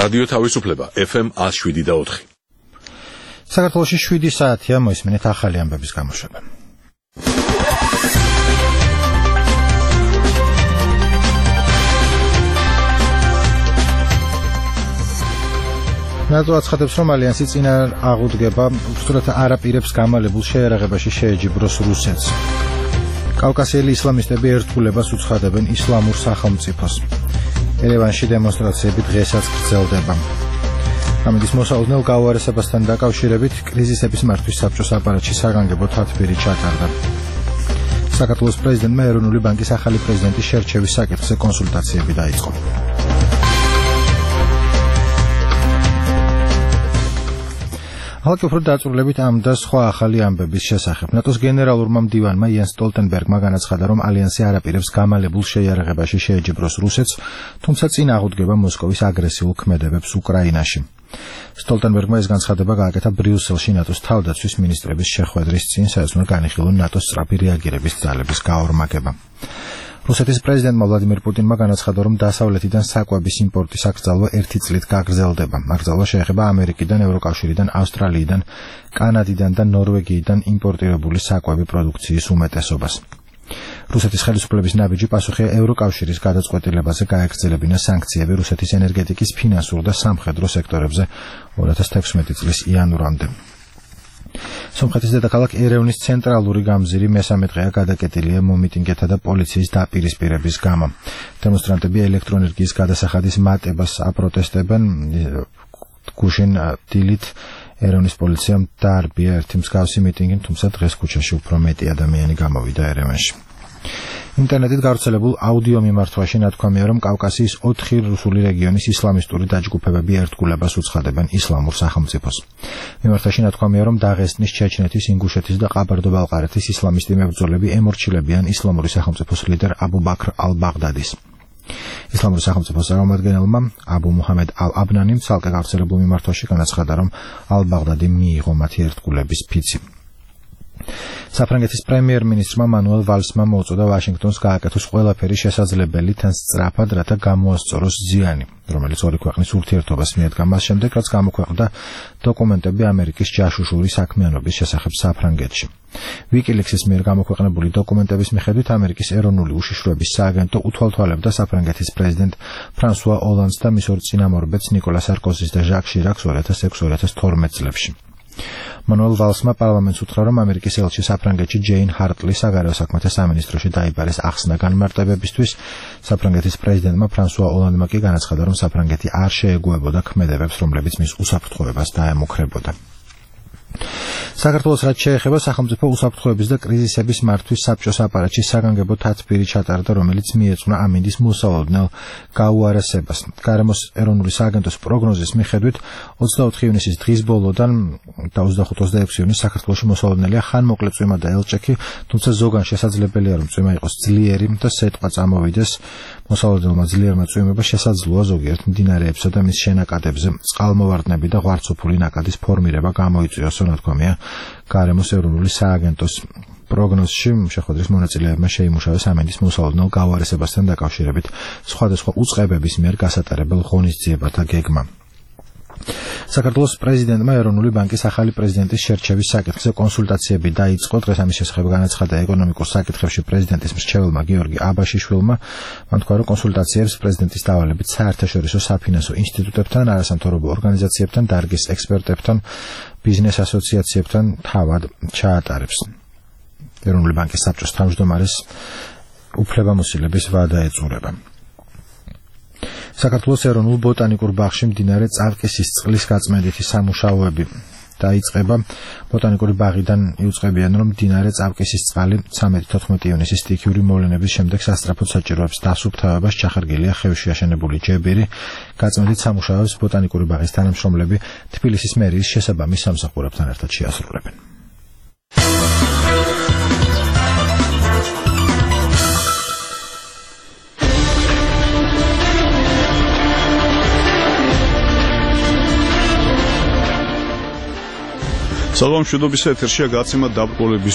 რადიო თავისუფლება FM 107.4. საქართველოში 7 საათია, მოისმინეთ ახალი ამბების გამოშვება. ნატო აცხადებს, რომ ალიანსი წინარ აღუდგება, უსწრათ არაპირებს გამალებულ შეიარაღებაში შეეჯიბროს რუსეთს. კავკასიელი ისლამისტები ერთგულებას უცხადებენ ისლამურ სახელმწიფოს. ერევანში დემონსტრაციები დღესაც გრძელდება. ამინდის მოსალოდნელ გაუარესებასთან დაკავშირებით კრიზისების მართვის საბჭოს აპარატში საგანგებო თათბირი ჩატარდა. საქართველოს პრეზიდენტმა ეროვნული ბანკის ახალი პრეზიდენტის შერჩევის საკითხზე კონსულტაციები დაიწყო. ახალ დაწვრილებით ამ და სხვა ახალი ამბების შესახებ. ნატოს გენერალურმა მდივანმა იენს სტოლტენბერგმა განაცხადა, რომ ალიანსი არაპირებს გამალებულ შეიარაღებაში შეეჯიბროს რუსეთს, თუმცა წინ აღუდგება მოსკოვის აგრესიულ ქმედებებს უკრაინაში. სტოლტენბერგმა ეს განცხადება გააკეთა ბრიუსელში ნატოს თავდაცვის მინისტრების შეხვედრის წინ, სადაც უნდა განიხილონ ნატოს სწრაფი რეაგირების ძალების გაორმაგება. რუსეთის პრეზიდენტმა ვლადიმირ პუტინმა განაცხადა, რომ დასავლეთიდან საკვების იმპორტის აკრძალვა 1 წლით გაგრძელდება. აკრძალვა შეეხება ამერიკიდან, ევროკავშირიდან, ავსტრალიიდან, კანადიდან და ნორვეგიიდან იმპორტირებული საკვები პროდუქციის უმეტესობას. რუსეთის ხელისუფლების ნაბიჯი პასუხია ევროკავშირის გადაწყვეტილებაზე გაეგრძელებინა სანქციები რუსეთის ენერგეტიკის ფინანსურ და სამხედრო სექტორებზე 2016 წლის იანვრამდე. სომხეთის დედაქალაქ ერევნის ცენტრალური გამზირი მესამე დღეა გადაკეტილია მომიტინგეთა და პოლიციის დაპირისპირების გამო. დემონსტრანტები ელექტროენერგიის გადასახადის მატებას აპროტესტებენ. გუშინ დილით ერევნის პოლიციამ დაარბია ერთი მსგავსი მიტინგი, თუმცა დღეს ქუჩაში უფრო მეტი ადამიანი გამოვიდა ერევანში. ინტერნეტით გავრცელებულ აუდიო მიმართვაში ნათქვამია, რომ კავკასიის 4 რუსული რეგიონის ისლამისტური დაჯგუფებები ერთგულებას უცხადებენ ისლამურ სახელმწიფოს. მიმართვაში ნათქვამია, რომ დაღესტნის, ჩეჩნეთის, ინგუშეთის და ყაბარდო-ბალყარეთის ისლამისტი მებრძოლები ემორჩილებიან ისლამური სახელმწიფოს ლიდერ აბუ ბაქრ ალ-ბაღდადის. ისლამური სახელმწიფოს წარმომადგენელმა აბუ მუჰამედ ალ-აბნანიმ ცალკე გავრცელებულ მიმართვაში განაცხადა, რომ ალ-ბაღდადი მიიღო მათი ერთგულების ფიცი. საფრანგეთის პრემიერ-მინისტრმა მანუელ ვალსმა მოუწოდა ვაშინგტონს გააკეთოს ყველაფერი შესაძლებელი თან სწრაფად, რათა გამოასწოროს ზიანი, რომელიც ორი ქვეყნის ურთიერთობას მიადგა მას შემდეგ, რაც გამოქვეყნდა დოკუმენტები ამერიკის ჯაშუშური საქმიანობის შესახებ საფრანგეთში. ვიკილიქსის მიერ გამოქვეყნებული დოკუმენტების მიხედვით ამერიკის ეროვნული უშიშროების სააგენტო უთვალთვალებდა საფრანგეთის პრეზიდენტ ფრანსუა ოლანდს და მის ორ წინამორბედს ნიკოლა სარკოზის და ჟაკ შირაკს 2006-2012 წლებში. მანუელ ვალსმა პარლამენტს უთხრა, რომ ამერიკის ელჩი საფრანგეთში ჯეინ ჰარტლი საგარეო საქმეთა სამინისტროში დაიბარეს ახსნა განმარტებებისთვის. საფრანგეთის პრეზიდენტმა ფრანსუა ოლანდმა კი განაცხადა, რომ საფრანგეთი არ შეეგუებოდა ქმედებებს, რომლებიც მის უსაფრთხოებას დაემუქრებოდა. საქართველოს რაც შეეხება სახელმწიფო უსაფრთხოების და კრიზისების მართვის საბჭოს აპარატში საგანგებო თათბირი ჩატარდა, რომელიც მიეძღვნა ამინდის მოსალოდნელ გაუარესებას. გარემოს ეროვნული სააგენტოს პროგნოზის მიხედვით 24 ივნისის დღის ბოლოდან და 25-26 ივნისს საქართველოში მოსალოდნელია ხანმოკლე წვიმა და ელჭექი, თუმცა ზოგან შესაძლებელია, რომ წვიმა იყოს ძლიერი და სეტყვა წამოვიდეს. მოსალოდნელმა ძლიერმა წვიმება შესაძლოა ზოგიერთ მდინარეებსა და მის შენაკადებზე წყალმოვარდნები და ღვარცოფული ნაკადის ფორმირება გამოიწვიოს, ნათქვამია გარემოს ეროვნული სააგენტოს პროგნოზში. შეხვედრის მონაწილეებმა შეიმუშავეს ამინდის მოსალოდნელ გაუარესებასთან დაკავშირებით სხვადასხვა უწყებების მიერ გასატარებელ ღონისძიებათა გეგმა. საქართველოს პრეზიდენტმა ეროვნული ბანკის ახალი პრეზიდენტის შერჩევის საკითხზე კონსულტაციები დაიწყო. დღეს ამის შესახებ განაცხადა ეკონომიკურ საკითხებში პრეზიდენტის მრჩეველმა გიორგი აბაშიშვილმა. მან თქვა, რომ კონსულტაციებს პრეზიდენტის დავალებით საერთაშორისო საფინანსო ინსტიტუტებთან, არასამთავრობო ორგანიზაციებთან, დარგის ექსპერტებთან, ბიზნეს ასოციაციებთან თავად ჩაატარებს. ეროვნული ბანკის საბჭოს თავმჯდომარეს უფლებამოსილების ვადა ეწურება. საქართველოს ეროვნულ ბოტანიკურ ბაღში მდინარე წალკისის წყლის გაწმენდითი სამუშაოები დაიწყება. ბოტანიკური ბაღიდან იუწყებიან, რომ მდინარე წალკისის წყალი 13-14 ივნისის სტიქიური მოვლენების შემდეგ სასწრაფოდ საჭიროებს დასუფთავებას. ჩახერგილია ხევში აშენებული ჯებირი. გაწმენდით სამუშაოებს ბოტანიკური ბაღის თანამშრომლები თბილისის მერიის შესაბამის სამსახურებთან ერთად შეასრულებენ. საღამოშვიდობის ეთერშია გაცემა დაბრკოლების